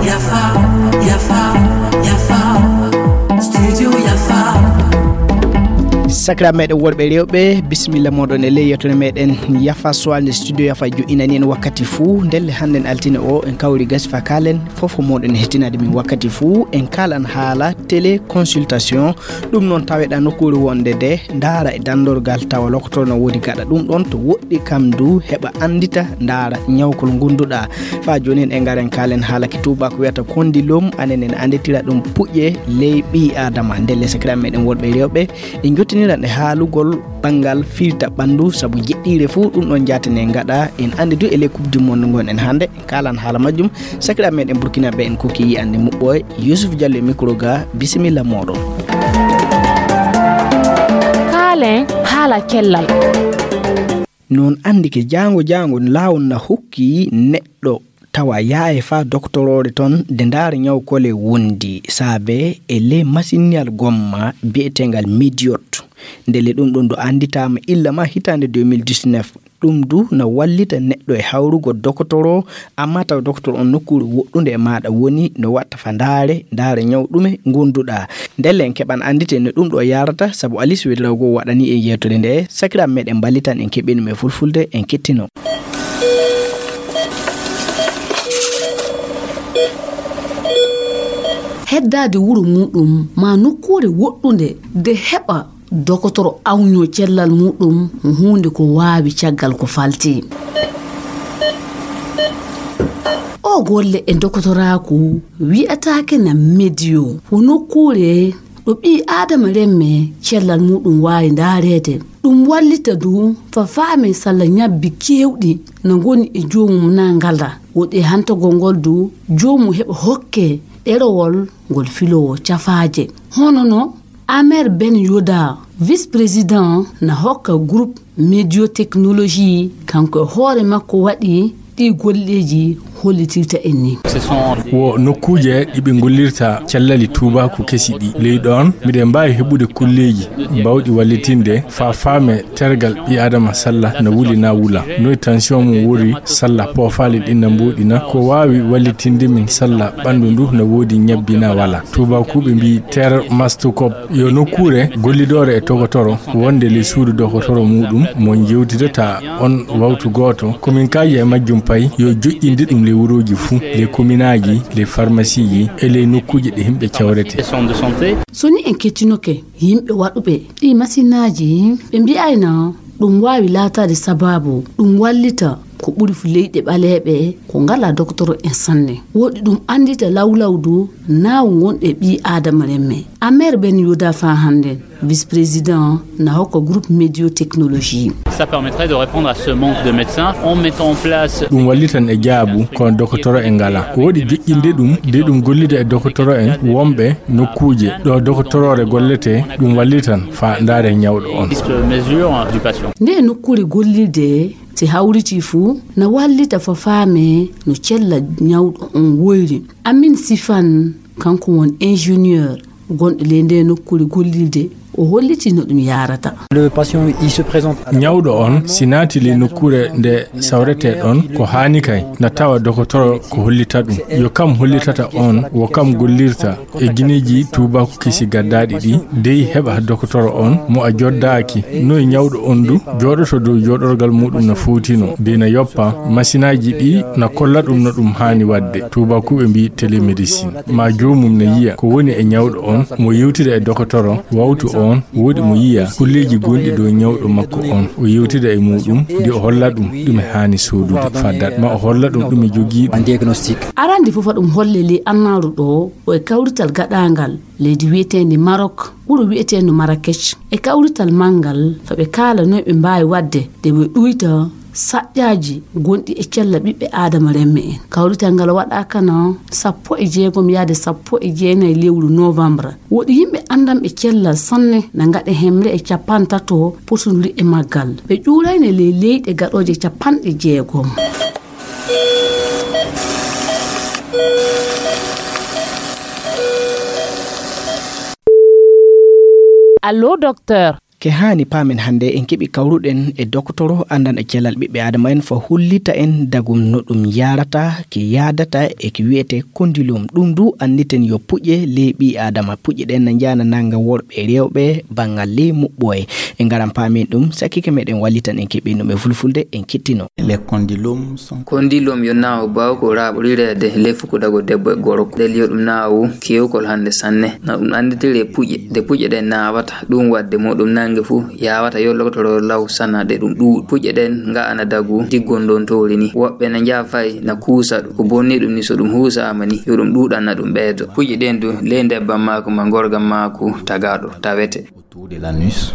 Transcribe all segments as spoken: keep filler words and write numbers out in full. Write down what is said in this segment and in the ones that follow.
Yafa, yafa, yafa. Studio yafa. Sakiraaɓe meɗen worɓe e rewɓe, bisimilla moɗon e ley yettude meɗen Yafa Soirée nde Studio Yafa joɗɗinani en wakkati fuu. Ndelle hannden altine o, en kawri gasi fa kaalen, fof moɗon e hettinaade min wakkati fuu. En kaalan haala téléconsultation. Ɗum noon taweɗaa nokkuure wonde de ndaara e danndorgal tawa lokotoro no woodi gaɗa ɗum ɗon to woɗɗi kam du heɓa anndita ndaara ñawkol ngonduɗaa. Faa jooni en e ngaren kaalen haala ki tuubaako wiyata kondilom, anen en annditira ɗum puƴe ley ɓii Aadama. Ndelle sakiraaɓe meɗen worɓe e rewɓe, en jottiniran e haalugol banngal firta ɓanndu sabu jeɗɗiire fuu ɗum ɗon jaatene ngaɗa. En anndi du e ley Coupe du Monde ngon en hannde, en kaalan haala majjum. Sakiraaɓe meɗen Burkina ɓe en kokki yi'ande muɓɓo e Yusuf Diallo e micro ga, bisimilla moɗon. Kaalen haala cellal. Noon anndi ke jaango jaango laawol na hokki neɗɗo tawa yaha e faa doktoroore ton de ndaara ñaw kole wondi saabe e ley masinniyal gomma bi'eteengal Mediot. Ndelle ɗum ɗon du annditaama illa ma hitaande deux mille dix-neuf. Ɗum du na wallita neɗɗo e hawrugol dokotoro, amma taw dokotoro on nokkuure woɗɗunde e maaɗa woni no watta fa ndaare, ndaare ñaw ɗume ngonduɗaa. Ndelle en keɓan anndite no ɗum ɗo yaarata, sabu Alice Wedraogo waɗani en yeewtere nde, sakiraaɓe meɗen mballitan en keɓii ɗum e fulfulde, en kettino. Heddaade wuro muɗum ma nokkuure woɗɗunde de heɓa dokotoro awño cellal muɗum huunde ko waawi caggal ko falti. O golle e dokotoraaku wiyataake na mediyo, ko nokkuure ɗo ɓii Aadama remme cellal muɗum waawi ndaareede. Ɗum wallita du fa faame salla ñabbi keewɗi na ngoni e joomum na ngala. Woɗi e hantagol ngol du, joomum heɓa hokke ɗerewol ngol filoowo cafaaje. Hono no Amer Ben Yoda, vice-président na hokka groupe Mediotechnologie, kanko e hoore makko waɗi ɗi golleeji hollitirta en ni. Wo nokkuuje ɗi ɓe ngollirta cellali tuubaaku kesi ɗi. Ley ɗoon, miɗen mbaawi heɓude kolleeji baawɗi wallitinde faa faame tergal ɓii Aadama salla na wuli na wula. Noy tension mum wori salla poofaali ɗin na mbooɗi na. Ko waawi wallitinde min salla ɓanndu ndu na woodi ñabbi na wala. Tuubaakuuɓe mbii termastukop. Yo nokkuure gollidoore e togotoro wonde ley suudu dogotoro muɗum mo jewtidata on wawtu gooto, komin kaaji e majjum pay yo joƴƴinde ɗum ley wuroji fuu, ley kominaaji, ley farmasiiji e ley nokkuuji ɗe yimɓe cawrete. So ni en kettinoke yimɓe waɗuɓe ɗi masinaaji, ɓe mbi'ayna ɗum waawi laataade sabaabu ɗum wallita ko ɓuri fu leyɗe ɓaleeɓe ko ngalaa dokotoro en sanne. Woɗi ɗum anndita lawlawdu naawu ngonɗe ɓii Aadama remme. Amer Ben Yuda faa hannden, vice-président na hokka groupe Médiotechnologie. Ça permettrait de répondre à ce manque de médecins en mettant en place. Ɗum wallitan e jaabu ko dokotoro en ngalaa. Woɗi joƴƴinde ɗum, de ɗum gollida e dokotoro en wonɓe nokkuuje ɗo dokotoroore golletee, ɗum wallitan faa ndaare ñawɗo on. Liste mesure du patient. Nde nokkuure gollirde si hawritii fuu, na wallita faa faame no cella ñawɗo on woyri. Amin Sifan, kanko won ingénieur gonɗo ley nde nokkuure gollirde, o hollitii no ɗum yaarata. Le patient, il se présente à la. Ñawɗo on, si naati ley nokkuure nde sawretee ɗon, ko haani kay, na tawa dokotoro ko hollita ɗum. Yo kam hollitata on, wo kam gollirta. E gineeji tuubaaku kesi gaddaaɗi ɗi, dey heɓa dokotoro on mo a joddaaki. Noy ñawɗo on du jooɗoto dow jooɗorgal muɗum no fowtino, dey na yoppa, masinaaji ɗi na kolla ɗum no ɗum haani waɗde. Tuubaakuuɓe mbii télémédecine. Ma joomum na yiya ko woni e ñawɗo on, mo yewtida e dokotoro, wawtu on, woodi mo yiya kulleeji gonɗi dow ñawɗo makko on. O yewtida e muɗum, de o holla ɗum ɗume haani soodude. Faddat ma o holla ɗum ɗume jogii ɗum. Arande fof aɗum holle ley annaaru ɗo, o e kawrital gaɗaangal leydi wiyeteende Maroc, wuro wiyeteende Marrakech. E kawrital manngal, fa ɓe kaala noy ɓe mbaawi waɗde de ɓe ɗuyta saƴƴaaji gonɗi e cella ɓiɓɓe Aadama remme en. Kawrital ngal waɗaaka na sappo e jeegom yaade sappo e jeenayi lewru novembre. Woɗi yimɓe anndanɓe cellal sanne na ngaɗa hemre e capantato potonduri e maggal. Ɓe ƴuurayne ley leyɗe gaɗooje capanɗe jeegom. Allo, docteur. Ke haani paamen hannde, en keɓi kawruɗen e dokotoro anndanɗo cellal ɓiɓɓe Aadama en, fo hollita en dagum no ɗum yaarata, ke yaadata e ke wiyetee kondilom. Ɗum du anniten yo puƴe ley ɓii Aadama. Puƴe ɗen na njaana nannga worɓe e rewɓe banngal ley muɓɓoye. En ngaran paamen ɗum, sakkike meɗen wallitan en keɓen ɗum e fulfulde, en kettino. Les condylomes sont Kondilom yo naawu baawu ko raaɓorireede ley fukudago debbo e gorko. Ndel yo ɗum naawu keewkol hannde sanne. Na ɗum annditiri e puƴe. Nde puƴe ɗen naawata, ɗum waɗde mo ɗum nannge fuu, yaawata yo lokotoro law sana ɗe ɗum ɗuuɗi. Puƴe ɗen nga'ana dagu diggondontoori ni. Woɓɓe na njaha fay na kuusa ɗum. Ko bonni ɗum ni, so ɗum huusaama ni, yo ɗum ɗuuɗan na ɗum ɓeydo. Puƴe ɗen du, ley ndebban maaku ma ngorgan maaku tagaaɗo tawete. Autour de l'anus.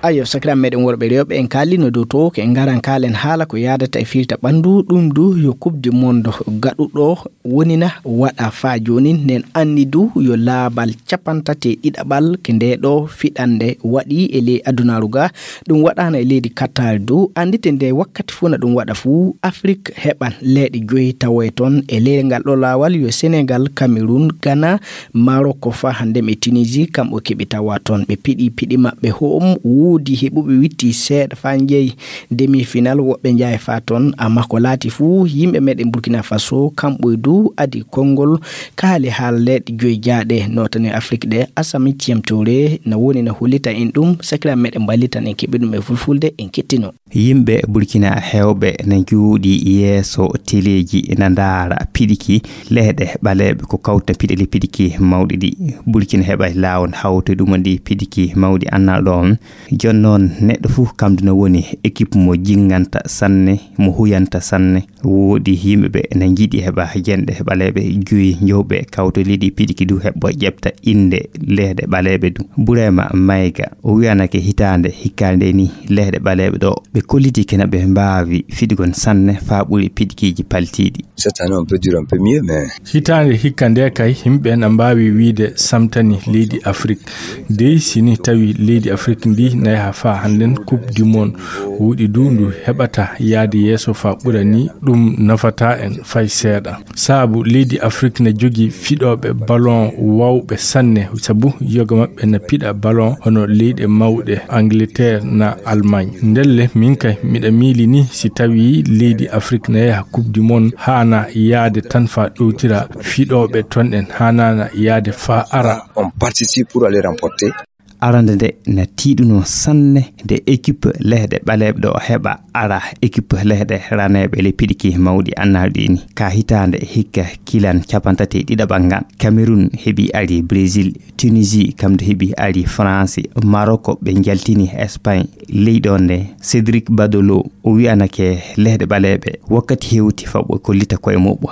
Ayo, sakiraaɓe meɗen worɓe rewɓe, en kaalino dow to, ke ngaran kaalen haala ko yaadata e firta ɓanndu, ɗum du yo Coupe du Monde gaɗuɗo wonina waɗa faa joonin. Nen anni du yo laabal capantati e ɗiɗaɓal ke ndee ɗoo fiɗannde waɗi e ley adunaaru ga. Ɗum waɗaana e leydi Qatar du. Anndite nde wakkati fuu na ɗum waɗa fuu, Afrik heɓan leeɗe joyi tawoye toon. E ley ngal ɗoo laawal yo Senegal, Cameroun, Ghana, Maroko faa hannde e Tunisie, kamɓe keɓi tawa toon. Ɓe piɗi piɗi maɓɓe ho'om, woodi heɓuɓe witti seeɗa faa njeyi demi-final, woɓɓe njahi faa toon. Amma ko laati fuu, yimɓe meɗen Burkina Faso, kamɓe du adi konngol kaali haala leeɗe joyi jaaɗe nootane Afrik ɗe. Asami Ciyam Toure na woni na hollita en ɗum, sakiraaɓe meɗen mballitan en keɓi ɗum e fulfulde, en kettino. Yimɓe Burkina heewɓe na njuuɗi yeeso teleeji na ndaara piɗiki lehɗe ɓaleeɓe ko kawta piɗe le piɗiki mawɗi ɗi. Burkina heɓa laawol hawto ɗum ɗi piɗiki mawɗi annal ɗo on. Jooni noon neɗɗo fof kamdu na woni équipe mo jinnganta sanne, mo huyanta sanne. Woodi yimɓe ɓe na njiɗi heɓa jenɗe ɓaleeɓe joyi njowɓe kawto leydi piɗiki du heɓɓo ƴeɓta innde lehɗe ɓaleeɓe du. Burema Mayga o wiyanake hitaande hikkaande ni lehɗe ɓaleeɓe ɗo ɓe kolliti kena ɓe mbaawi fiɗugol sanne faa ɓuri piɗkiiji paltiiɗi. Cette année, on peut dire un peu mieux, mais Hitaande hikka nde kay, yimɓe na mbaawi wiyde samtani leydi Afrik. Dey, si ni tawi leydi Afrik ndi na yaha faa hannden Coupe du Monde, wuuɗi du ndu heɓata yaade yeeso faa ɓura ni, ɗum nafataa en fay seeɗa. Saabu leydi Afrik na jogii fiɗooɓe ballon waawɓe sanne, sabu yoga maɓɓe na piɗa ballon hono leyɗe mawɗe Angleterre na Allemagne. Ndelle, min kay, miɗa miili ni si tawi leydi Afrik na yaha Coupe du Monde, haana yaade tan faa ɗowtira fiɗooɓe ton ɗen, haanaana yaade faa ara. On participe pour aller remporter. Arande nde na tiiɗuno sanne nde équipe lehɗe ɓaleeɓe ɗo heɓa ara équipe lehɗe raneeɓe le piɗiki mawɗi annal ɗi ni. Ka hitaande hikka kilan capantati e ɗiɗaɓal ngal. Cameroun heɓi ari Brésil, Tunisie kamdu heɓi ari France, Maroc ɓe njaltini Espagne. Ley ɗon nde Cédric Badolo o wiyanake lehɗe ɓaleeɓe wakkati hewti faa ɓe kollita koye muɓɓo.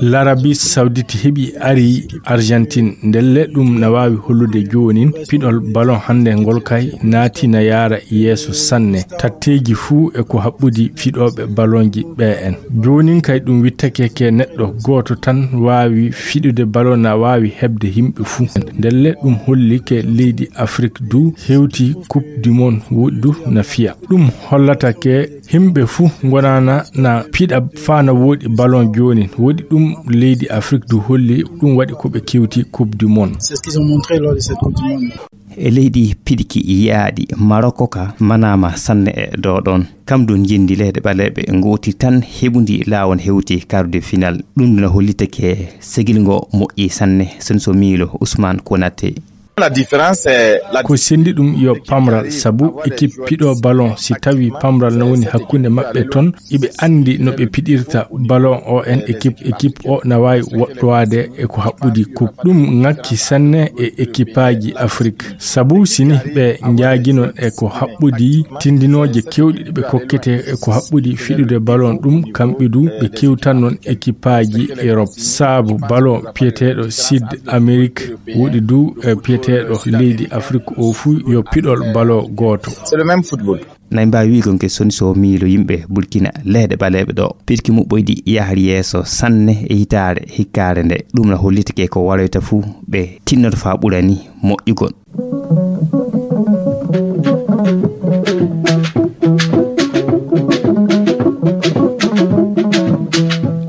L'Arabie Saoudite heɓi ari Argentine. Ndelle ɗum na waawi hollude joonin piɗol ballon hannde ngol kay naati na yaara yeeso sanne. Tatteeji fuu e ko haɓɓudi fiɗooɓe ballonji ɓe en. Joonin kay ɗum wittake ke neɗɗo gooto tan waawi fiɗude ballon na waawi heɓde yimɓe fuu. Ndelle ɗum holli ke leydi Afrik du hewti Coupe du Monde woɗɗi du na fiya. Ɗum hollata ke yimɓe fuu ngonaana na piɗa faa na woɗɗi ballon joonin. Woɗɗi ɗum leydi Afrik du holli ɗum waɗi ko ɓe kewti Coupe du Monde. C'est ce qu'ils ont montré lors de cette Coupe du Monde. E leydi piɗki yiyaaɗi Maroko ka manaama sanne e ɗo ɗon. Kam du njendi lehɗe ɓaleeɓe ngooti tan heɓundi laawol hewti quart de finale. Ɗum na hollitake segil ngo moƴƴi sanne. Senso Milo Ousmane Konaté. La différence, c'est la Ko senndi ɗum yo pamral, sabu équipe piɗo ballon, si tawi pamral na woni hakkunde maɓɓe ton, iɓe anndi no ɓe piɗirta ballon o en équipe, équipe o na waawi woɗɗowaade e ko haɓɓudi coupe. Ɗum ŋakki sanne e équipaaji Afrik. Sabu si ni ɓe njaaginon e ko haɓɓudi tindinooje kewɗe ɗe ɓe kokkete e ko haɓɓudi fiɗude ballon ɗum, kamɓe du ɓe kewtannon équipaaji Europe. Saabu ballon piyeteeɗo Sud Amérique woɗi du e piyeteeɗo leydi Afrik o fuu yo piɗol ballon gooto. C'est le même football. Nay mbaawi wi'ugol ke soni so miilo yimɓe Burkina lehɗe ɓaleeɓe ɗo. Pirki muɓɓoyɗi yahri yeeso sanne e hitaare hikkaare nde. Ɗum na hollitake ko waroyta fuu ɓe tinnoto faa ɓura ni moƴƴugol.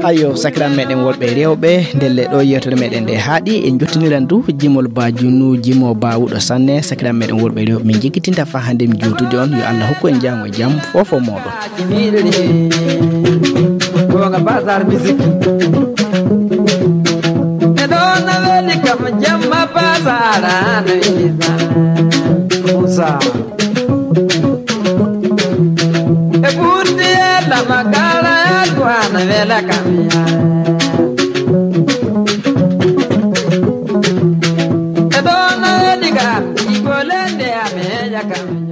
Ayo, sakiraaɓe meɗen worɓe e rewɓe, ndelle ɗo yewtere meɗen nde haaɗi, en jottiniran du jimol ba junu, jimo ba wuɗo sanne. Sakiraaɓe meɗen worɓe e rewɓe, min jiggitinta fa hannde mi juutude on, yo Allah hokku en jam e jam, fofo moɗon. Gonga Bazar Music. E ɗo na weli kam jamma Bazar, na weli sa. Musa. E ɓurdi e lama kala e duwana wela kam ya. E ɗo na weli kam, igolende ame ya kam.